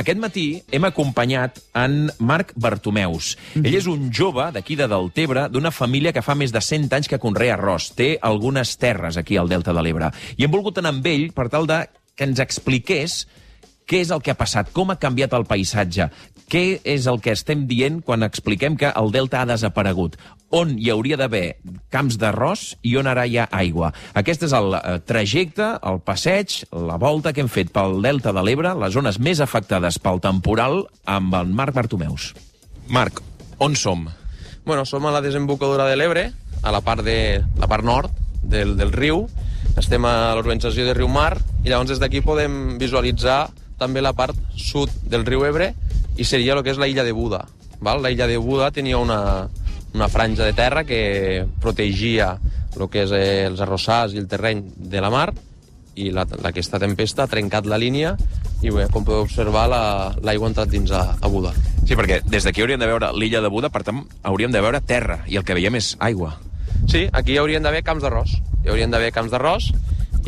Aquest matí hem acompanyat en Marc Bartomeus. Ell és un jove d'aquí de Deltebre, d'una família que fa més de 100 anys que conrea arròs. Té algunes terres aquí al Delta de l'Ebre. I hem volgut anar amb ell per tal de que ens expliqués què és el que ha passat, com ha canviat el paisatge, què és el que estem dient quan expliquem que el delta ha desaparegut, on hi hauria d'haver camps d'arròs i on ara hi ha aigua. Aquest és el trajecte, el passeig, la volta que hem fet pel Delta de l'Ebre, les zones més afectades pel temporal, amb el Marc Bartomeus. Marc, on som? Bueno, som a la desembocadura de l'Ebre, a la part nord del riu. Estem a l'urbanització de Riumar i llavors des d'aquí podem visualitzar també la part sud del riu Ebre i seria el que és la illa de Buda. Val? La illa de Buda tenia una franja de terra que protegia el que és els arrossars i el terreny de la mar i aquesta tempesta ha trencat la línia i bé, com podeu observar l'aigua ha entrat dins a Buda. Sí, perquè des d'aquí hauríem de veure l'illa de Buda, per tant hauríem de veure terra i el que veiem és aigua. Sí, aquí hi haurien d'haver camps d'arròs. Hi haurien d'haver camps d'arròs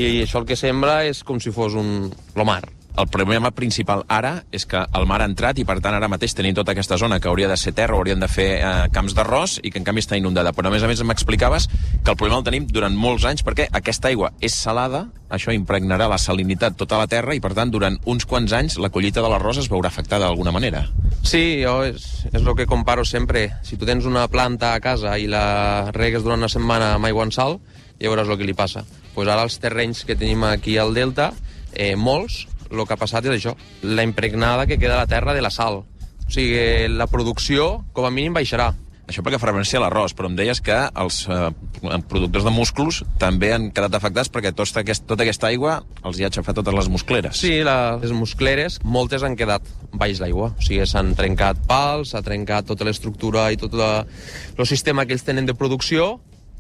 i això el que sembla és com si fos lo mar. El problema principal ara és que el mar ha entrat i, per tant, ara mateix tenim tota aquesta zona que hauria de ser terra, haurien de fer camps d'arròs i que, en canvi, està inundada. Però, a més m'explicaves que el problema el tenim durant molts anys perquè aquesta aigua és salada, això impregnarà la salinitat tota la terra i, per tant, durant uns quants anys la collita de l'arròs es veurà afectada d'alguna manera. Sí, és el que comparo sempre. Si tu tens una planta a casa i la regues durant una setmana amb aigua en sal, ja veuràs el que li passa. Pues ara els terrenys que tenim aquí al Delta, molts, el que ha passat és això, la impregnada que queda a la terra de la sal. O sigui, la producció, com a mínim, baixarà. Això perquè fa referència a l'arròs, però em deies que els productors de musclos també han quedat afectats perquè tota aquesta aigua els hi ha aixafat totes les muscleres. Sí, les muscleres, moltes han quedat baix l'aigua. O sigui, s'han trencat pals, s'ha trencat tota l'estructura i tot el sistema que ells tenen de producció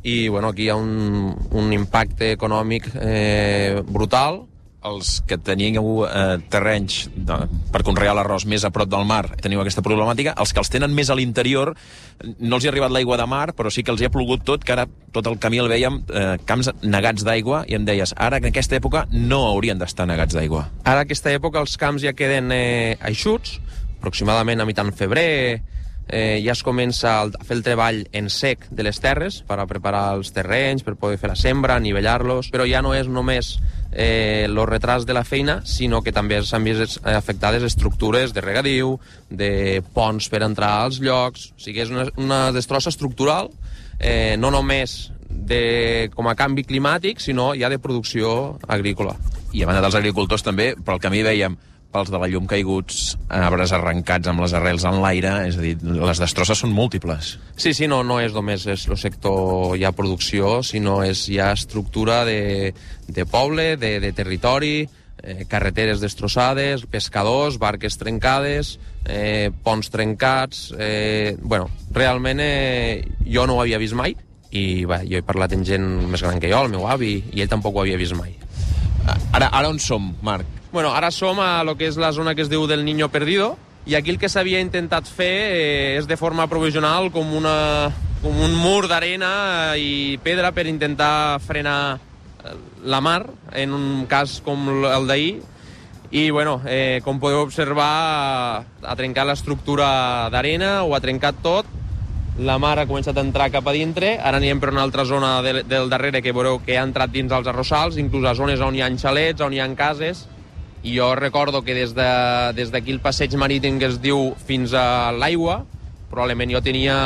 i, bueno, aquí hi ha un impacte econòmic brutal. Els que teníeu terrenys per conrear l'arròs més a prop del mar teniu aquesta problemàtica. Els que els tenen més a l'interior no els hi ha arribat l'aigua de mar, però sí que els hi ha plogut tot, que ara tot el camí el veiem camps negats d'aigua i em deies, ara en aquesta època no haurien d'estar negats d'aigua. Ara en aquesta època els camps ja queden eixuts, aproximadament a mitjan febrer ja es comença a fer el treball en sec de les terres per a preparar els terrenys, per poder fer la sembra, nivellar-los, però ja no és només el retras de la feina, sinó que també s'han vist afectades estructures de regadiu, de ponts per entrar als llocs. O sigui, és una destrossa estructural, no només com a canvi climàtic, sinó ja de producció agrícola. I a banda dels agricultors també, pel camí veiem pals de la llum caiguts, arbres arrencats amb les arrels en l'aire, és a dir, les destrosses són múltiples. Sí, no és només el sector ja producció, sinó és ja estructura de poble, de territori, carreteres destrossades, pescadors, barques trencades, ponts trencats. Bueno, realment jo no ho havia vist mai i jo he parlat amb gent més gran que jo, el meu avi, i ell tampoc ho havia vist mai. Ara on som, Marc? Bueno, ara som a lo que és la zona que es diu del Niño Perdido, i aquí el que s'havia intentat fer és de forma provisional com un mur d'arena i pedra per intentar frenar la mar, en un cas com el d'ahir, i bueno, com podeu observar, ha trencat l'estructura d'arena, ho ha trencat tot, la mar ha començat a entrar cap a dintre, ara anirem per una altra zona del darrere que veureu que ha entrat dins els arrossals, inclús a zones on hi ha xalets, on hi ha cases, i jo recordo que des d'aquí el passeig marítim que es diu fins a l'aigua, probablement jo tenia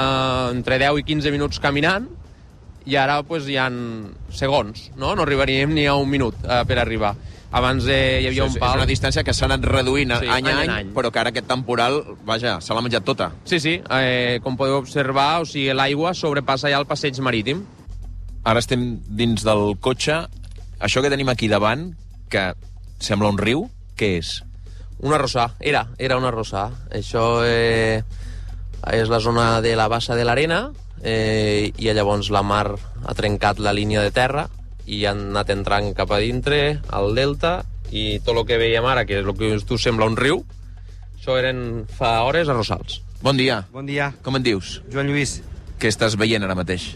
entre 10 i 15 minuts caminant, i ara pues, hi ha segons, no arribaríem ni a un minut per arribar. Abans hi havia un pal... És una distància que s'ha anat reduint any a any, però que ara aquest temporal, vaja, se l'ha menjat tota. Sí, com podeu observar, o sigui, l'aigua sobrepassa ja el passeig marítim. Ara estem dins del cotxe. Això que tenim aquí davant, que sembla un riu, què és? Un arrossar, era un arrossar. Això és la zona de la bassa de l'arena i llavors la mar ha trencat la línia de terra i han anat entrant cap a dintre, al delta, i tot el que veiem ara, que és el que tu sembla un riu, això eren fa hores arrossals. Bon dia. Bon dia. Com en dius? Joan Lluís. Què estàs veient ara mateix?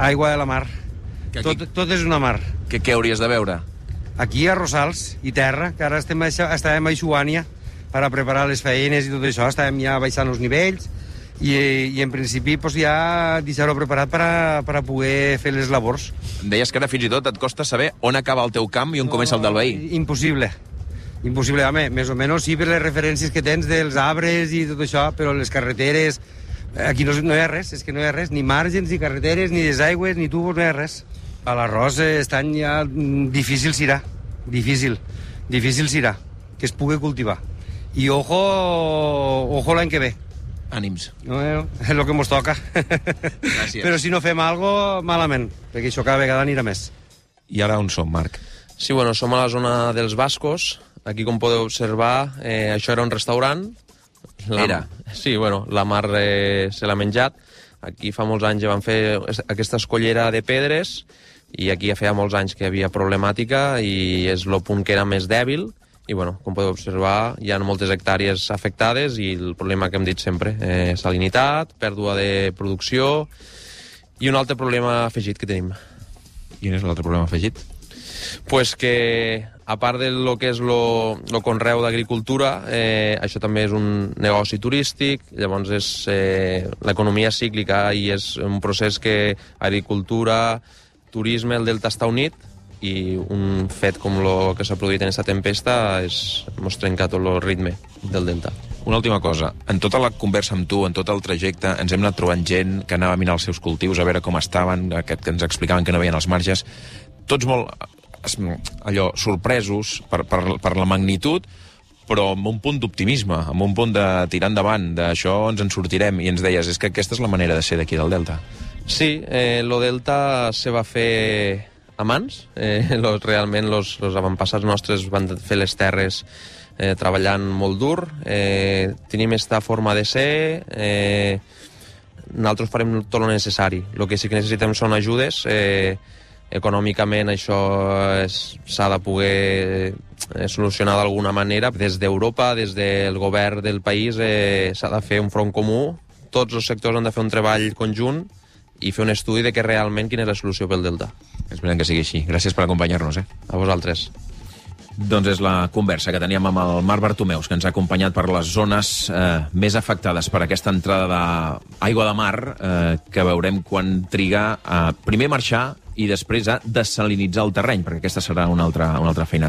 Aigua de la mar. Tot és una mar. Què hauries de veure? Aquí a Rosals i terra, que ara estàvem a Ixuània, per a preparar les feines i tot això. Estàvem ja baixant els nivells i en principi pues, ja deixar-ho preparat per a poder fer les labors. Deies que ara fins i tot et costa saber on acaba el teu camp i on comença el del veí. Impossible. Impossible, home, més o menys sí per les referències que tens dels arbres i tot això, però les carreteres... Aquí no hi ha res, és que no hi ha res, ni margens, ni carreteres, ni desaigües, ni tubos, no hi ha res. A l'arròs aquest any ja difícil serà, difícil serà, que es pugui cultivar. I ojo l'any que ve. Ànims. No, és el que ens toca. Gràcies. Però si no fem alguna cosa, malament, perquè això cada vegada anirà més. I ara on som, Marc? Sí, bueno, som a la zona dels Bascos. Aquí, com podeu observar, això era un restaurant. Era? Sí, bueno, la Mar se l'ha menjat. Aquí fa molts anys ja van fer aquesta escollera de pedres i aquí ja feia molts anys que hi havia problemàtica i és el punt que era més dèbil. I, bueno, com podeu observar, hi ha moltes hectàrees afectades i el problema que hem dit sempre, salinitat, pèrdua de producció i un altre problema afegit que tenim. Quin és l'altre problema afegit? Pues que, a part de lo que és lo conreu d'agricultura, això també és un negoci turístic, llavors és l'economia cíclica i és un procés que agricultura, turisme, el delta està unit i un fet com el que s'ha produït en aquesta tempesta ens trenca tot el ritme del delta. Una última cosa. En tota la conversa amb tu, en tot el trajecte, ens hem anat trobant gent que anava a mirar els seus cultius, a veure com estaven, que ens explicaven que no veien els marges. Tots molt sorpresos per la magnitud, però amb un punt d'optimisme, amb un punt de tirar endavant, d'això ens en sortirem. I ens deies, és que aquesta és la manera de ser d'aquí del Delta. Sí, lo Delta se va fer a mans. Realment els avantpassats nostres van fer les terres treballant molt dur. Tenim aquesta forma de ser. Nosaltres farem tot el necessari. El que sí que necessitem són ajudes. Econòmicament això s'ha de poder solucionar d'alguna manera. Des d'Europa, des del govern del país, s'ha de fer un front comú. Tots els sectors han de fer un treball conjunt i fer un estudi de què realment quina és la solució pel Delta. Esperem que sigui així. Gràcies per acompanyar-nos. A vosaltres. Doncs és la conversa que teníem amb el Marc Bartomeus, que ens ha acompanyat per les zones més afectades per aquesta entrada d'aigua de mar, que veurem quan triga a primer marxar i després a desalinitzar el terreny, perquè aquesta serà una altra feina.